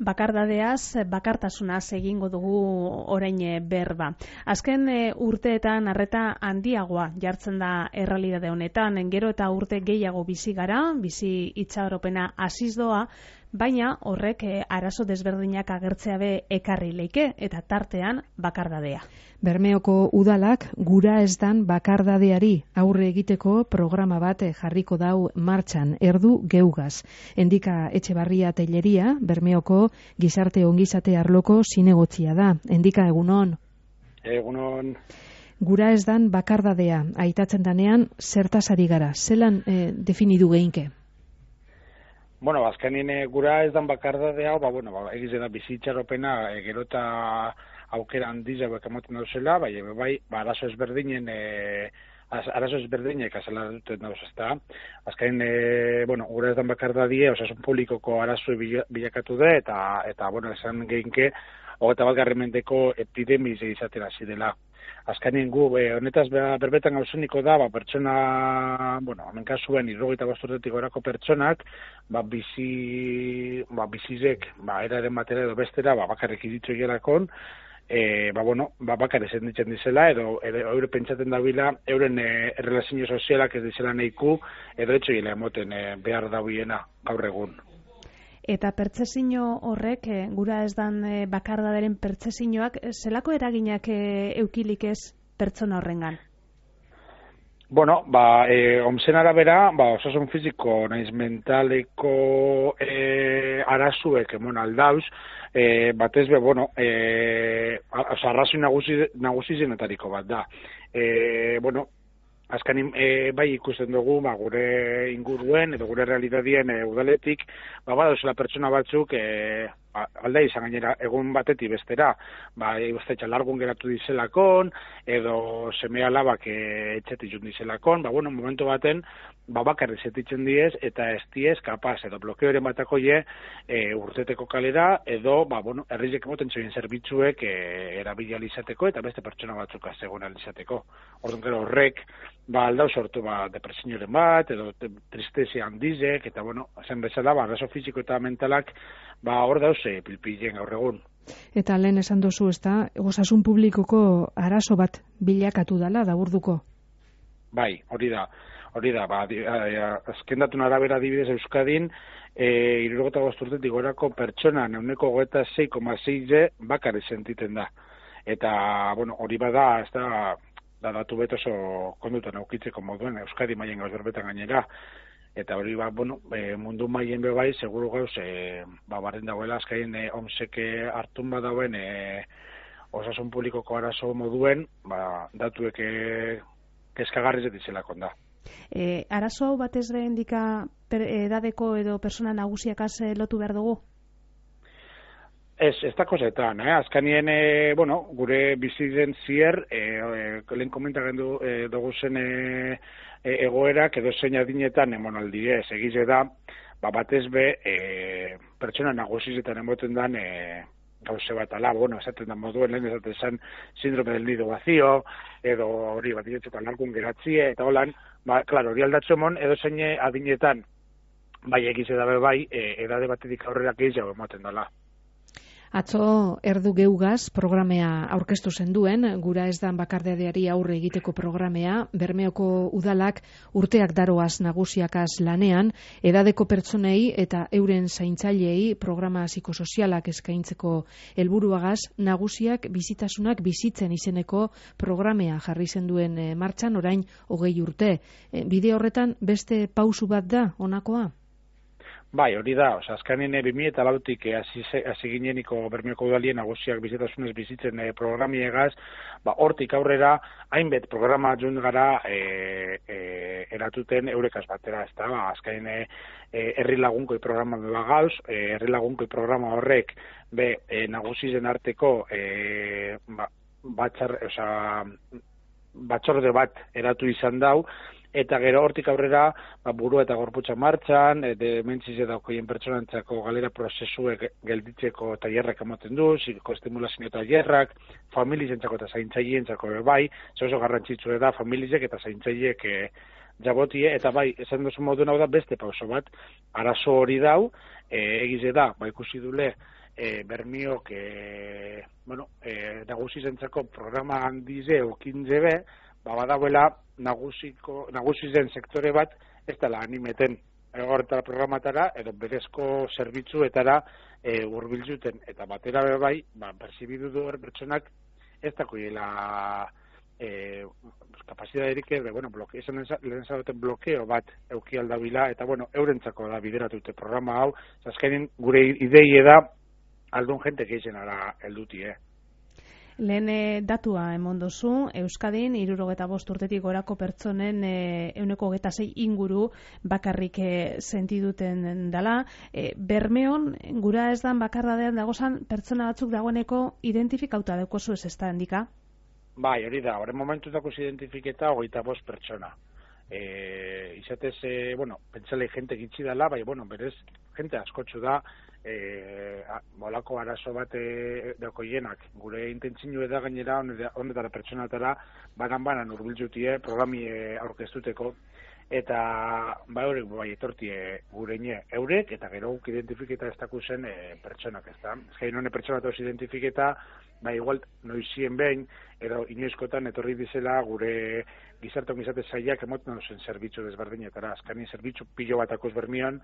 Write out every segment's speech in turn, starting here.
bakardadeaz, bakartasunaz egingo dugu orain berba. Azken urteetan arreta handiagoa jartzen da errealitate honetan, gero eta urte gehiago bizi gara, bizi itxaropena hasiz doa, baina horrek arazo desberdinak agertzea be ekarri leike eta tartean bakardadea. Bermeoko udalak gura ez dan bakardadeari aurre egiteko programa bat jarriko dau martxan, erdu geugaz. Endika Etxebarria Telleria, Bermeoko gizarte ongizate arloko zinegotzia da. Endika, egunon? Egunon. Gura ez dan bakardadea, aitatzen danean, zertaz ari gara? Zelan definidu geinke? Bueno, azkenien gura ez dan bakardadea, egize da bizitxaropena gero eta aukera handiz hauek emoten dauzela, bai, arazo ezberdinek azala duten dauz, ezta. Azken, gura ez dan bakardadie, osasun publikoko arazo bilakatu da, eta esan geinke, 21. mendeko epidemiz izaten hasi dela. Azkenien gu, honetaz berbetan gauzuniko da, pertsona, hemen kasuen 75 urtetik gorako pertsonak, bizizek, eraren batera edo bestera, bakarrik iritzo hielakon, bakarrik zenditzen dizela, edo eure pentsaten dabila, euren errelazio sozialak ez dizela nahiku, edo etxo hile emoten behar dauiena gaur egun. Eta pertsesino horrek, gura ez dan bakardaderen pertsesinoak, zelako eraginak eukilik ez pertsona horrengan? Omzen arabera, osasun fiziko naiz mentaleko arazuek emon aldauz, batez arrazoi nagusi zenetariko bat da. Azkanin, bai ikusten dugu, gure inguruen edo gure realidadien udaletik, badozela pertsona batzuk alda izan gainera egun batetik bestera, uste largun geratu dizelakon, edo seme alabak etxetik jun dizelakon, momentu baten, bakarrik zetitzen diez, eta ez diez kapaz, edo blokeoren batako urteteko kalera, edo, herrizek emoten zoien zerbitzuek erabilializateko, eta beste pertsona batzuk azegoen alizateko. Orduan gero horrek, aldau sortu depresioaren bat, edo tristezia handizek, eta zen bezala, arazo fiziko eta mentalak, hor dauz pilpilen gaur egun. Eta lehen esan dozu, ez da, osasun publikoko arazo bat bilakatu dela, daburduko? Bai, hori da. Azken datun arabera adibidez Euskadin, 65 urtetik gorako pertsona 26,6 bakarrik sentiten da. Eta, hori bada, ez da datu bet oso kondutan aukitzeko moduen Euskadi mailen gauz berbetan gainera. Eta hori mundu mailen bai, seguru gauz, barren dagoela azkain omseke hartun badauen osasun publikoko arazo moduen, datuek kezkagarriz etizelakon da. Arazo hau batez be endika edadeko edo persona nagusiakaz lotu behar dugu? Ez da kozetan, azkanien, gure bizitzen zier, lehen komentaren dugu zen egoerak edo zein adinetan emonaldi ez, egize da, batez be, pertsona nagusizetan emoten dan gauze bat ala, esaten da moduen lehen esaten zen sindrome del nido vacío, edo hori bat iretzetan largun geratzie, eta holan, hori aldatzu emon, edo zein adinetan, egize dabe edade batetik aurrera gehiago emoten dela. Atzo erdu geugaz programea aurkeztu zenduen, gura ez dan bakardadeari aurre egiteko programea, Bermeoko udalak urteak daroaz nagusiakaz lanean, edadeko pertsonei eta euren zaintzailei programa psikosozialak eskaintzeko helburuagaz, nagusiak bizitasunak bizitzen izeneko programea jarri zenduen martxan orain 20 urte. Bide horretan beste pausu bat da honakoa? Bai, hori da, azkanen 2008tik hasi gineniko Bermeoko udalien nagusiak bizitasunez bizitzen programiegaz, hortik aurrera, hainbet programa jun gara eratuten eurekaz batera, ez da, azkanen herri lagunkoi programa gauz, herri lagunkoi programa horrek, nagusizen arteko batzorde bat eratu izan dau, eta gero hortik aurrera burua eta gorputza martxan, dementzize daukoien pertsonantzako galera prozesuek gelditzeko tailerrak ematen du, psikoestimulazio tailerrak, familizentzako eta zaintzailentzako bai, oso garrantzitsua da familizek eta zaintzaileek jabotie, eta bai, esan duzu moduen hau da beste pauso bat, arazo hori dau, egize da, ikusi dule, Bermiok, nagusi zentzako programa handize okinze be, badagoela nagusi zen sektore bat, ez dela animeten horretara programatara, edo berezko zerbitzuetara hurbiltzuten, eta batera bai, perzibidu du pertsonak ez dakoiela kapazitaterik lehen zaten blokeo bat euki aldabila, eta eurentzako da bideratute programa hau, azkenin gure idei da aldun jente geixenara heldutie. Lehen datua emon duzu, Euskadin 65 urtetik gorako pertsonen 126 inguru bakarrik sentiduten dela. Bermeon, gura ez dan bakardadean dagozan pertsona batzuk dagoeneko identifikauta daukozu ez da handika? Bai, hori da, horren momentutako identifiketa 25 pertsona. Izatez, pentsalei jente gitzi dela, bai, berez, jente askotxu da, molako arazo bat dakoienak. Gure intentzinu da gainera, honetara pertsonatara, banan urbiltzutie, programi aurkeztuteko, eta bai etortie gureine eurek, eta gero guk identifiketa ez dakuzen pertsonak, ez da. Ez gain hone pertsonatoz identifiketa, igual noizien behin, edo inoizkotan etorri dizela gure gizarte ongizate zaiak emoten zen zerbitzu desberdinetara. Azkanin zerbitzu pilo batakuz Bermion,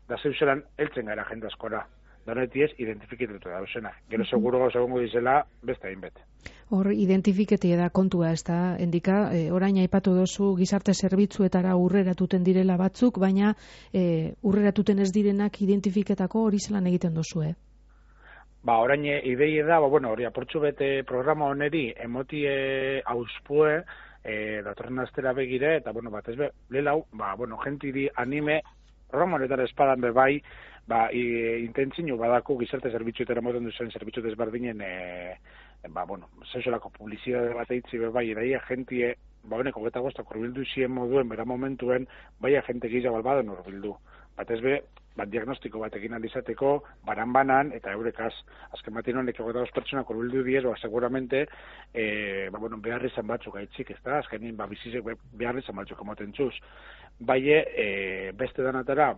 da zeuzelan heltzen gara jende askora. Donetiez, identifiketatu da duzena. Gero seguro gauza gongo dizela, beste hainbet. Hor, identifiketie da kontua, ez da, endika, orain aipatu dozu gizarte zerbitzuetara urreratuten direla batzuk, baina urreratuten ez direnak identifiketako hori zelan egiten dozu, Orain idei da, hori aportxu bete programa oneri emotie auspue, datorren astera begire, eta, batez be, lelau, gentiri anime, programa honetara espadan bebai, intentzinu badako gizarte zerbitzuetara moten duzen zerbitzu desberdinen, zeuselako publizidade bat eitzi bebai, edaia gentie, honeko geta goztak urbildu zien moduen, bera momentuen, bai agente gizia balbadan urbildu. Batez be, diagnostiko batekin aldizateko, banan, eta eurekaz, azken batin honek egota dos pertsonak urbildu diez, seguramente, behar izan batzuk gaitzik, ez da, azkenin, bizizek behar izan batzuk emoten txuz. Baie, beste danatara,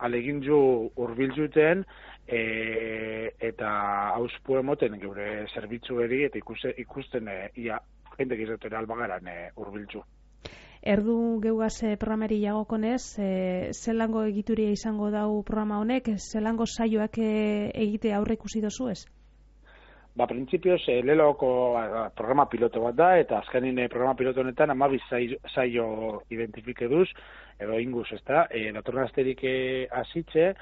alegin ju urbiltzuten, eta hauspu emoten geure zerbitzueri, eta ikusten ia jente gizatera albagaran urbiltzu. Erdu geugaz programari jagokonez, zelango egituria izango dau programa honek, zelango saioak egite aurre ikusi dozu ez? Printzipioz, leloko programa piloto bat da, eta azkenin programa piloto honetan 12 saio identifike duz, edo inguz, ez da, datorren asterik hasitze,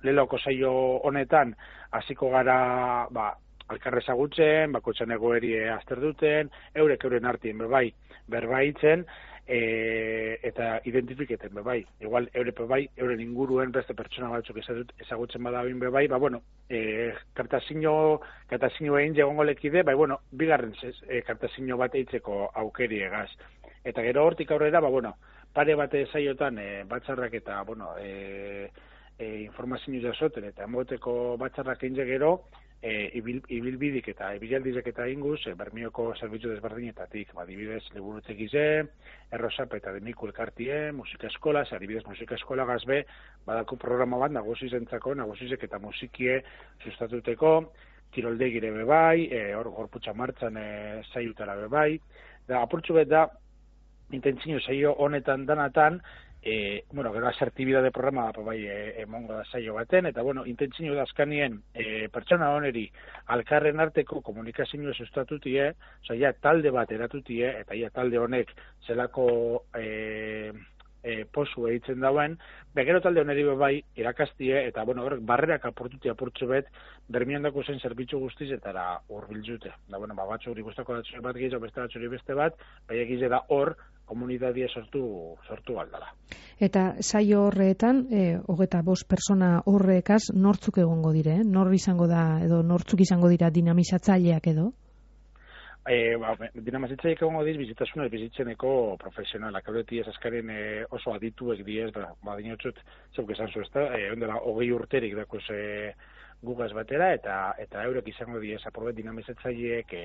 leloko saio honetan hasiko gara, alkarre ezagutzen, bakotxan egoeri azter duten, euren artien berbaitzen, eta identifiketen bebai. Igual, euren inguruen beste pertsona batzuk ezagutzen badabin bebai, kartazino egin jegongo lekide, bigarren kartazino bat eitzeko aukeri egaz. Eta gero hortik aurrera, pare bate zaiotan batzarrak eta, informazio jasoten eta emoteko batzarrak egin gero, ibilbidik eta ibilaldizek eta inguz, Bermioko zerbitzu desberdinetatik, adibidez, liburutze gize, errosap eta demiku elkartie, musika eskola, adibidez musika eskola gazbe, badako programa bat nagusizentzako, nagusizek eta musikie sustatuteko, kiroldegire bebai, gorputza martzan zaiutara bebai, da apurtxu bet da, intentzio zaio honetan danatan, gero asertibidade programa emongo da saio baten, eta intentzio da azkanien pertsona honeri alkarren arteko komunikazioa sustatutie, talde bat eratutie, eta talde honek zelako posu egiten dauen, begero talde honeri bai irakastie, eta barrerak apurtzu bet, Bermion dako zen zerbitzu guztiz eta urbiltzute. Batzu hori guztako datzure bat gehiago, beste datzure beste bat, bai egize da hor, komunitatea sortu aldala. Eta saio horretan, 25 persona horrekaz, nortzuk egongo dire? Nor izango da, edo nortzuk izango dira dinamizatzaileak edo? Dinamizatzaileak egongo diz, bizitasuna bizitzeneko profesionalak. Haureti ez azkaren oso adituek diez, dinotxut, zeuk esan zu ezta, ondela 20 urterik dakuz gugaz batera, eta eurek izango diez, apurbet dinamizatzaileek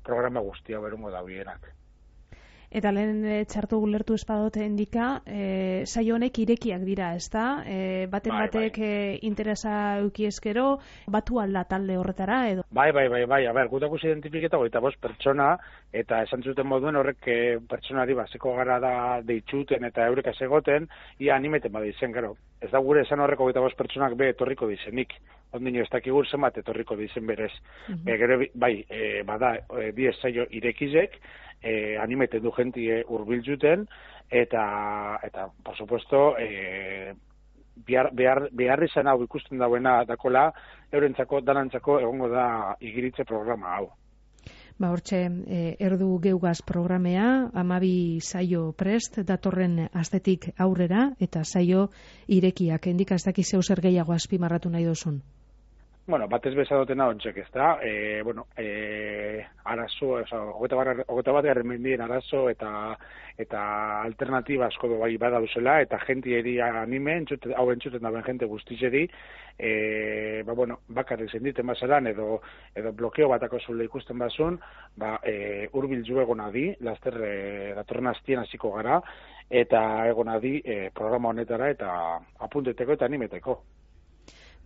programa guztia berungo da bienak. Eta lehen txartu gulertu espadote endika, saio honek irekiak dira, ezta? Batek interesa eukieskero, batu alda talde horretara, edo? Bai, a ber, gutakuz identifiketa 25 pertsona, eta esan zuten moduen horrek pertsonari baseko gara da deitxuten eta eureka segoten, ia animeten bada izen, gero. Ez da gure esan horreko 25 pertsonak be etorriko dizenik. Ondino ez dakigur zenbat etorriko dizen berez. Gero, bada, 10 saio irekizek, animeten du jentie hurbiltzuten, eta por supuesto, behar izan hau ikusten dauena dakola, eurentzako, danantzako egongo da igiritze programa hau. Hortxe, erdu geugaz programea, 12 saio prest, datorren astetik aurrera, eta saio irekiak. Endika ez dakiz zeu zer gehiago azpimarratu nahi dozun? Bueno, batez bezadotena ontsek, ez da? Arazo, 21. mendien arazo eta alternatiba asko bai bada duzela, eta jentieri anime, hau entzuten daben jente guztizeri, bakarrik zenditen bazaran, edo blokeo batako zule ikusten bazun, hurbildu egona di, laster datorren astien hasiko gara, eta egona di programa honetara, eta apunteteko eta animeteko.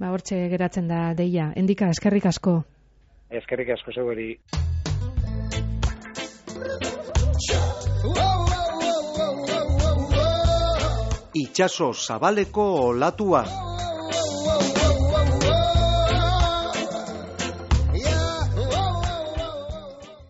Hortxe geratzen da deia. Endika, eskerrik asko. Eskerrik asko zeugeri. Itxaso zabaleko olatua.